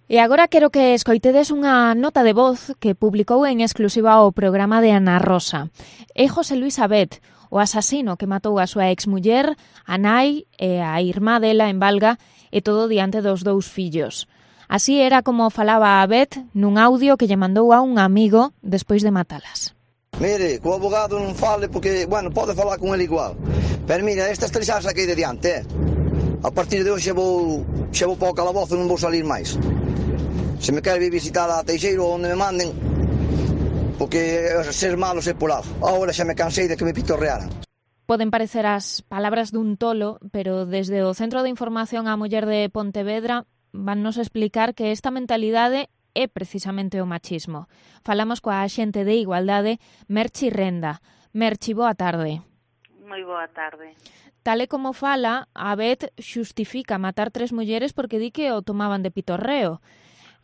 E agora quero que escoitedes unha nota de voz que publicou en exclusiva o programa de Ana Rosa. É José Luis Abet, o asasino que matou a súa exmuller, a nai e a irmá dela en Valga, e todo diante dos dous fillos. Así era como falaba Abet nun audio que lle mandou a un amigo despois de matalas. Mire, co abogado non fale porque, bueno, pode falar con ele igual. Pero mira, estas tres xa saquei de diante, A partir de hoxe vou para o calabozo e non vou salir máis. Se me quer vir visitar a Teixeiro onde me manden, porque ser malo ser polado. Agora xa me cansei de que me pitorrearan. Poden parecer as palabras dun tolo, pero desde o Centro de Información á Muller de Pontevedra vannos explicar que esta mentalidade é precisamente o machismo. Falamos coa axente de Igualdade, Merchi Renda. Merchi, boa tarde. Moi boa tarde. Tal e como fala, Abet xustifica matar 3 mulleres porque di que o tomaban de pitorreo.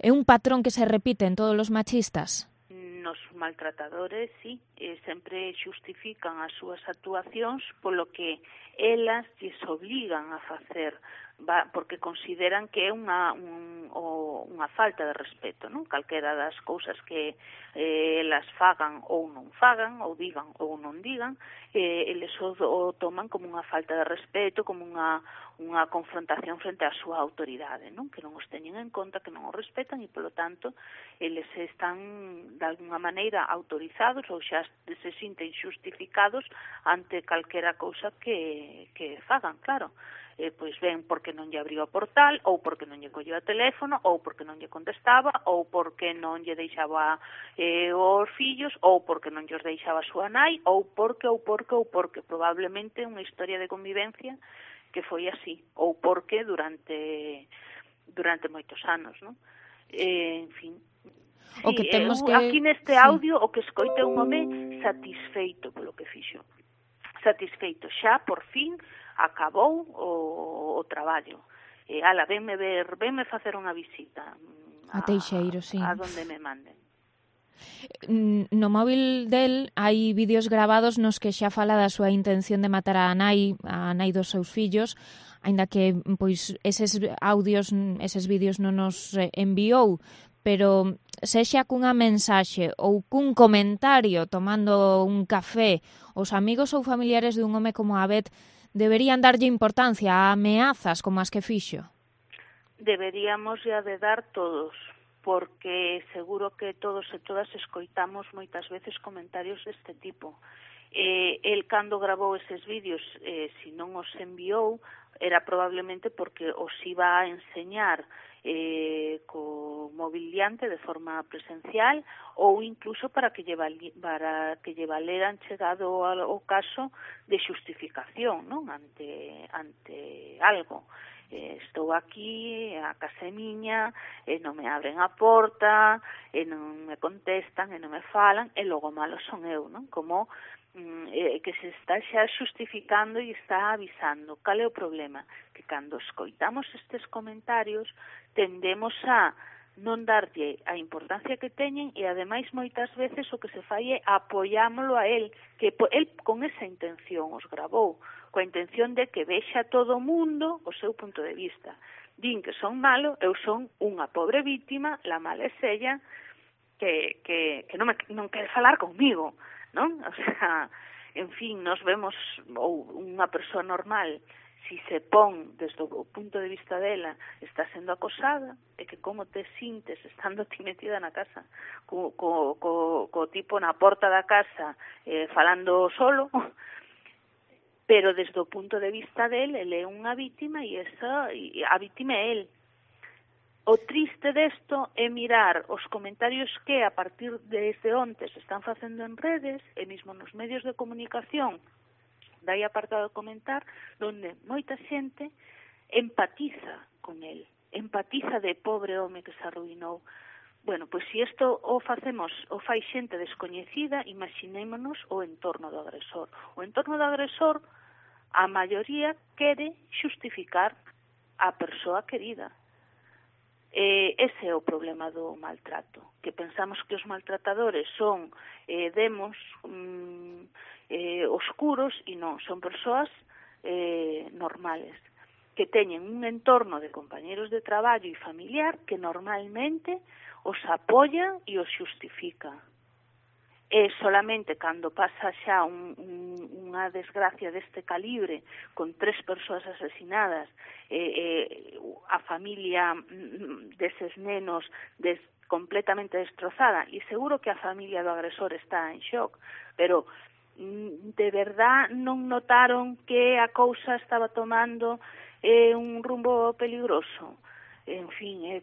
É un patrón que se repite en todos os machistas? Nos maltratadores, sí, sempre xustifican as súas actuacións polo que elas lles obligan a facer, porque consideran que é unha falta de respeto, non? Calquera das cousas que elas fagan ou non fagan, ou digan ou non digan, eles o toman como unha falta de respeto, como unha confrontación frente á súa autoridade, non? Que non os teñen en conta, que non os respetan e, polo tanto, eles están, de alguna maneira, autorizados ou xa se sinten xustificados ante calquera cousa que fagan, claro. Pois ben, porque non lle abriu o portal, ou porque non lle colleu o teléfono, ou porque non lle contestaba, ou porque non lle deixaba os fillos, ou porque non lles deixaba a súa nai, ou porque, probablemente unha historia de convivencia que foi así, ou porque durante moitos anos, non? En fin, o que temos que... aquí neste audio o que escoite un home satisfeito polo que fixo. Satisfeito, xa por fin acabou o traballo. Venme facer unha visita a Teixeiro, sí. A donde me manden. No móvil del hai vídeos grabados nos que xa fala da súa intención de matar a nai dos seus fillos, aínda que pois eses vídeos non nos enviou, pero sexa cunha mensaxe ou cun comentario tomando un café, os amigos ou familiares dun home como Abet deberían darlle importancia a ameazas como as que fixo? Deberíamos ya de dar todos, porque seguro que todos e todas escoitamos moitas veces comentarios deste tipo. El cando grabou eses vídeos, se non os enviou, era probablemente porque os iba a enseñar co móvil diante de forma presencial ou incluso para que lle valeran chegado ao caso de xustificación, non? Ante algo. Estou aquí, a casa é miña, e non me abren a porta, e non me contestan, e non me falan, e logo malo son eu, non? Como que se está xa xustificando e está avisando. Cal é o problema? Que cando escoitamos estes comentarios tendemos a non darlle a importancia que teñen e ademais moitas veces o que se fai é apoiámolo a él, que él con esa intención os grabou, coa intención de que vexa todo o mundo o seu punto de vista. Din que son malo, eu son unha pobre víctima, la mala é ella, que non quere falar comigo, non? O sea, en fin, nos vemos, ou unha persoa normal, si se pon desde o punto de vista dela, está sendo acosada, e que como te sintes estando ti metida na casa, co tipo na porta da casa, falando solo, pero desde o punto de vista del, ele é unha vítima e a vítima é el. O triste desto é mirar os comentarios que a partir desde onte se están facendo en redes e mesmo nos medios de comunicación, dai apartado de comentar, donde moita xente empatiza con el, empatiza de pobre home que se arruinou. Bueno, pois se isto o fai xente descoñecida, imaginémonos o entorno do agresor. O entorno do agresor, a maioría quere xustificar a persoa querida. Ese é o problema do maltrato, que pensamos que os maltratadores son demos oscuros e non, son persoas normales. que teñen un entorno de compañeros de traballo e familiar que normalmente os apoia e os xustifica. E solamente cando pasa xa unha desgracia deste calibre, con 3 persoas asesinadas, a familia deses nenos completamente destrozada, e seguro que a familia do agresor está en shock, pero de verdad non notaron que a cousa estaba tomando un rumbo peligroso. En fin, é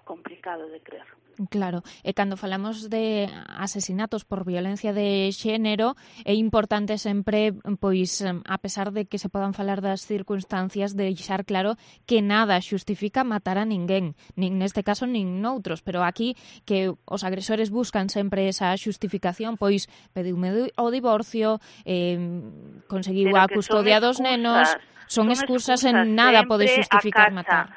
complicado de creer. Claro, e cando falamos de asesinatos por violencia de xénero, é importante sempre, pois, a pesar de que se podan falar das circunstancias, deixar claro que nada xustifica matar a ninguén, nin neste caso nin noutros, pero aquí que os agresores buscan sempre esa xustificación, pois pediume o divorcio, conseguiu a custodia dos nenos, son excusas en nada pode xustificar matar.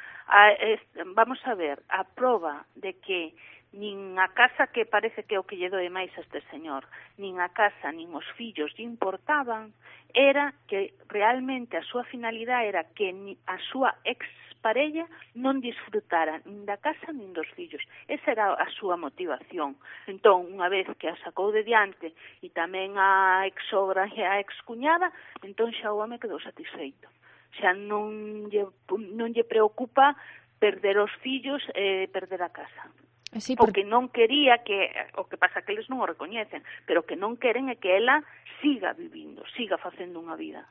Vamos a ver, a proba de que nin a casa, que parece que é o que lle doe máis a este señor, nin a casa, nin os fillos lle importaban, era que realmente a súa finalidade era que a súa exparella non disfrutara nin da casa nin dos fillos. Esa era a súa motivación. Entón, unha vez que a sacou de diante e tamén a exsogra e a excuñada, entón xa o home quedou satisfeito. Xa non lle preocupa perder os fillos e perder a casa. Sí, porque non quería que, o que pasa que eles non o recoñecen, pero que non queren é que ela siga vivindo, siga facendo unha vida.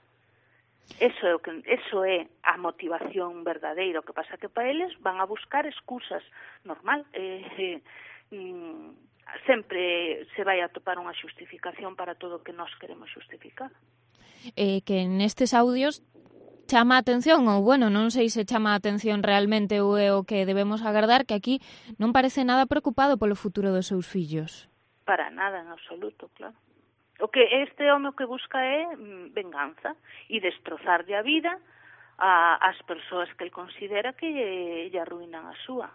Eso é a motivación verdadeira. O que pasa que para eles van a buscar excusas, normal. Sempre se vai a topar unha xustificación para todo o que nós queremos xustificar. Que nestes audios chama a atención, ou bueno, non sei se chama a atención realmente ou é o que debemos agardar, que aquí non parece nada preocupado polo futuro dos seus fillos. Para nada, en absoluto, claro. O que este home que busca é venganza e destrozarlle a vida ás persoas que el considera que lle arruinan a súa.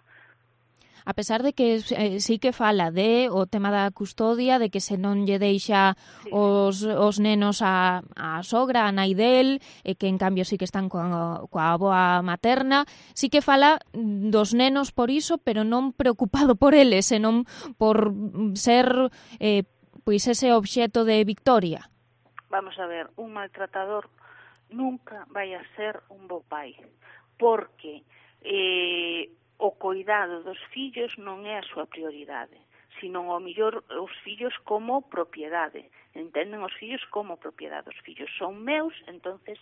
A pesar de que sí que fala de o tema da custodia, de que se non lle deixa os nenos a sogra, a nai del, e que en cambio sí que están coa avoa materna, sí que fala dos nenos por iso, pero non preocupado por eles, senón por ser pois ese obxeto de Victoria. Vamos a ver, un maltratador nunca vai a ser un bo pai, porque o coidado dos fillos non é a súa prioridade, sino ao mellor os fillos como propiedade. Entenden os fillos como propiedade. Os fillos son meus, entonces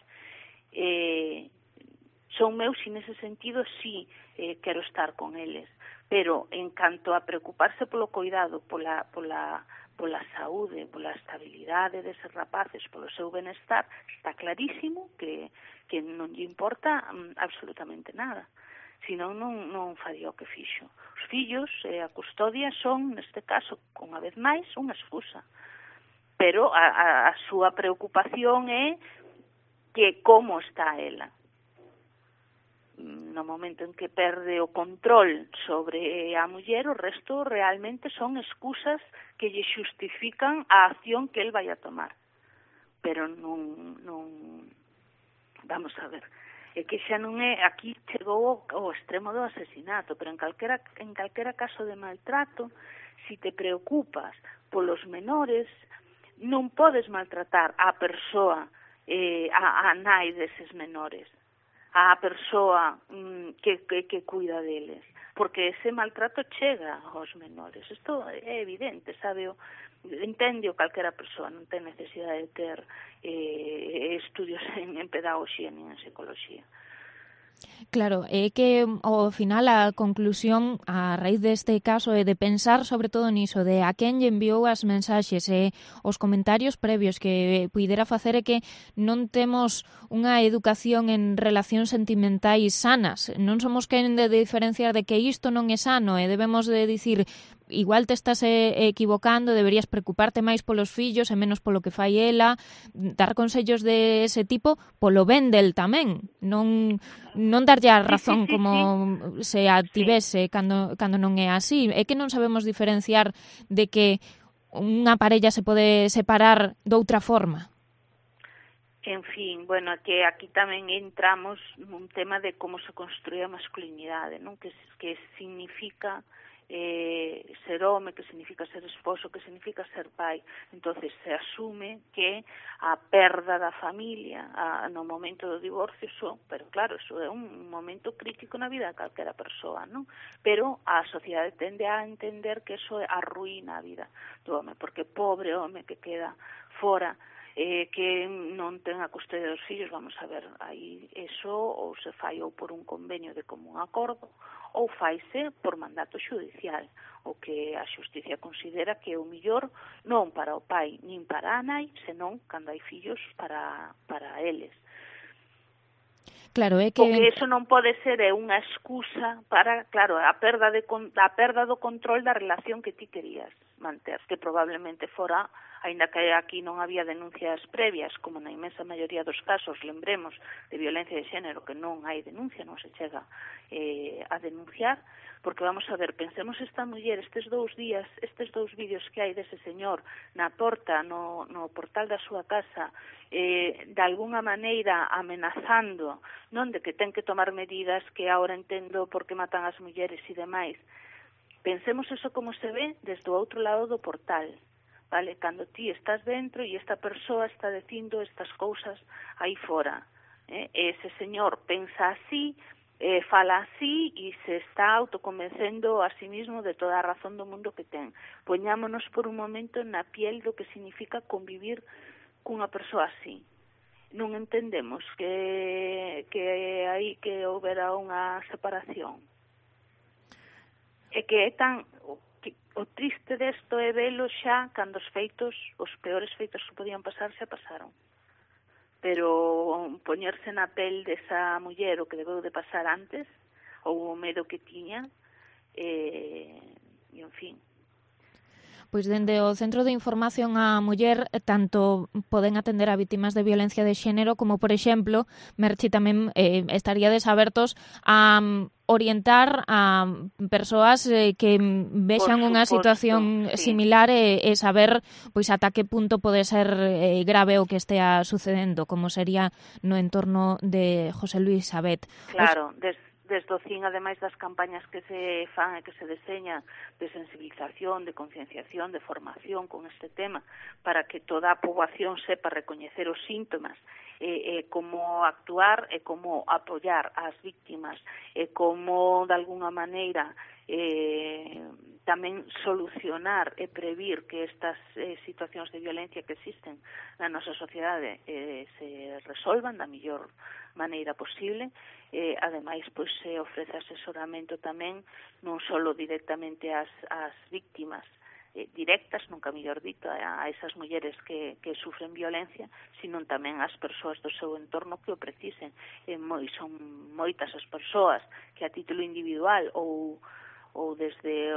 son meus e nese sentido sí quero estar con eles. Pero en canto a preocuparse polo coidado, pola saúde, pola estabilidade deses rapaces, polo seu benestar, está clarísimo que non lle importa absolutamente nada. Senón non faría o que fixo. Os fillos e a custodia son, neste caso, unha vez máis, unha excusa. Pero a súa preocupación é que como está ela. No momento en que perde o control sobre a muller, o resto realmente son excusas que lle xustifican a acción que el vai a tomar. Pero non vamos a ver, é que xa non é, aquí chegou ao extremo do asesinato, pero en calquera caso de maltrato, si te preocupas polos menores, non podes maltratar a persoa, a nai deses menores, a persoa que cuida deles, porque ese maltrato chega aos menores. Isto é evidente, sabe? Entende o calquera persoa, non ten necesidade de ter estudios en pedagogía nin en psicología. Claro, é que ao final a conclusión a raíz deste caso é de pensar sobre todo niso, de a quen lle enviou as mensaxes e os comentarios previos que puidera facer é que non temos unha educación en relacións sentimentais sanas. Non somos quen de diferenciar de que isto non é sano e debemos de dicir igual te estás equivocando, deberías preocuparte máis polos fillos e menos polo que fai ela, dar consellos de ese tipo polo ben del tamén, non darlle a razón como se a tivese cando non é así. É que non sabemos diferenciar de que unha parella se pode separar doutra forma. En fin, bueno, que aquí tamén entramos nun tema de como se construye a masculinidade, non? Que significa ser home, que significa ser esposo, que significa ser pai. Entonces se asume que a perda da familia no momento do divorcio, pero claro, eso é un momento crítico na vida de calquera persoa, non? Pero a sociedade tende a entender que eso arruína a vida do home, porque pobre home que queda fora, que non ten a custodia dos fillos, vamos a ver, aí eso ou se fai ou por un convenio de común acordo ou faise por mandato xudicial, o que a xusticia considera que é o millor non para o pai nin para a nai, senón cando hai fillos para eles. Claro, é que... O que eso non pode ser é unha excusa para, claro, a perda do control da relación que ti querías manter, que probablemente fora, aínda que aquí non había denuncias previas, como na inmensa maioría dos casos, lembremos, de violencia de xénero, que non hai denuncia, non se chega a denunciar, porque vamos a ver, pensemos esta muller, estes 2 días, estes 2 vídeos que hai dese señor na porta, no portal da súa casa, de alguna maneira amenazando, non, de que ten que tomar medidas que agora entendo porque matan as mulleres e demais. Pensemos eso como se ve desde o outro lado do portal, vale? Cando ti estás dentro e esta persoa está dicindo estas cousas aí fora. Ese señor pensa así, fala así e se está autoconvencendo a sí mismo de toda a razón do mundo que ten. Poñámonos por un momento na piel do que significa convivir cunha persoa así. Non entendemos que aí que houbera unha separación. É que é tan... O triste desto é velo xa cando os peores feitos que podían pasar xa pasaron. Pero poñerse na pel desa muller o que debeu de pasar antes, ou o medo que tiña, e en fin... Pois dende o Centro de Información á Muller tanto poden atender a vítimas de violencia de xénero como, por exemplo, Merchi, tamén estaríades abertos a orientar a persoas que vexan unha situación similar e saber pois ata que punto pode ser grave o que estea sucedendo, como sería no entorno de José Luis Sabet. Claro, desde o CIN, ademais das campañas que se fan e que se deseñan de sensibilización, de concienciación, de formación con este tema, para que toda a poboación sepa recoñecer os síntomas, como actuar e como apoiar as víctimas, e como, de alguna maneira, tamén solucionar e previr que estas situacións de violencia que existen na nosa sociedade se resolvan da mellor maneira posible. Ademais, pois se ofrece asesoramento tamén non só directamente ás víctimas directas, nunca mellor dito, a esas mulleres que sufren violencia, sino tamén ás persoas do seu entorno que o precisen. Son moitas as persoas que a título individual ou desde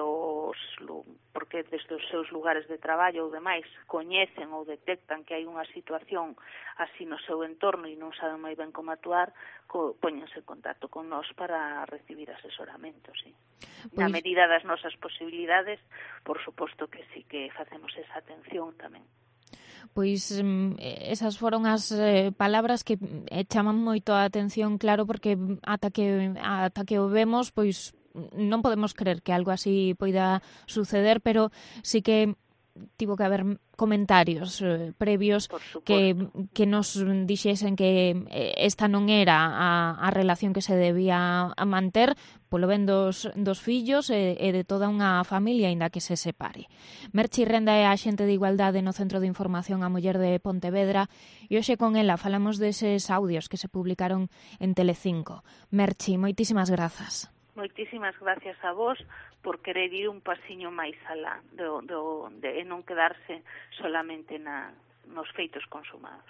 porque desde os seus lugares de traballo ou demais coñecen ou detectan que hai unha situación así no seu entorno e non saben moi ben como actuar, póñense en contacto con nós para recibir asesoramento, sí. Na medida das nosas posibilidades, por suposto que sí que facemos esa atención tamén. Pois esas foron as palabras que chaman moito a atención, claro, porque ata que o vemos, pois non podemos creer que algo así poida suceder, pero sí que tivo que haber comentarios previos que nos dixesen que esta non era a relación que se debía manter polo ben dos fillos e de toda unha familia, aínda que se separe. Merchi Renda é a axente de Igualdade no Centro de Información á Muller de Pontevedra e hoxe con ela falamos deses audios que se publicaron en Telecinco. Merchi, moitísimas grazas. Moitísimas gracias a vos por querer ir un pasiño máis alá de non quedarse solamente nos feitos consumados.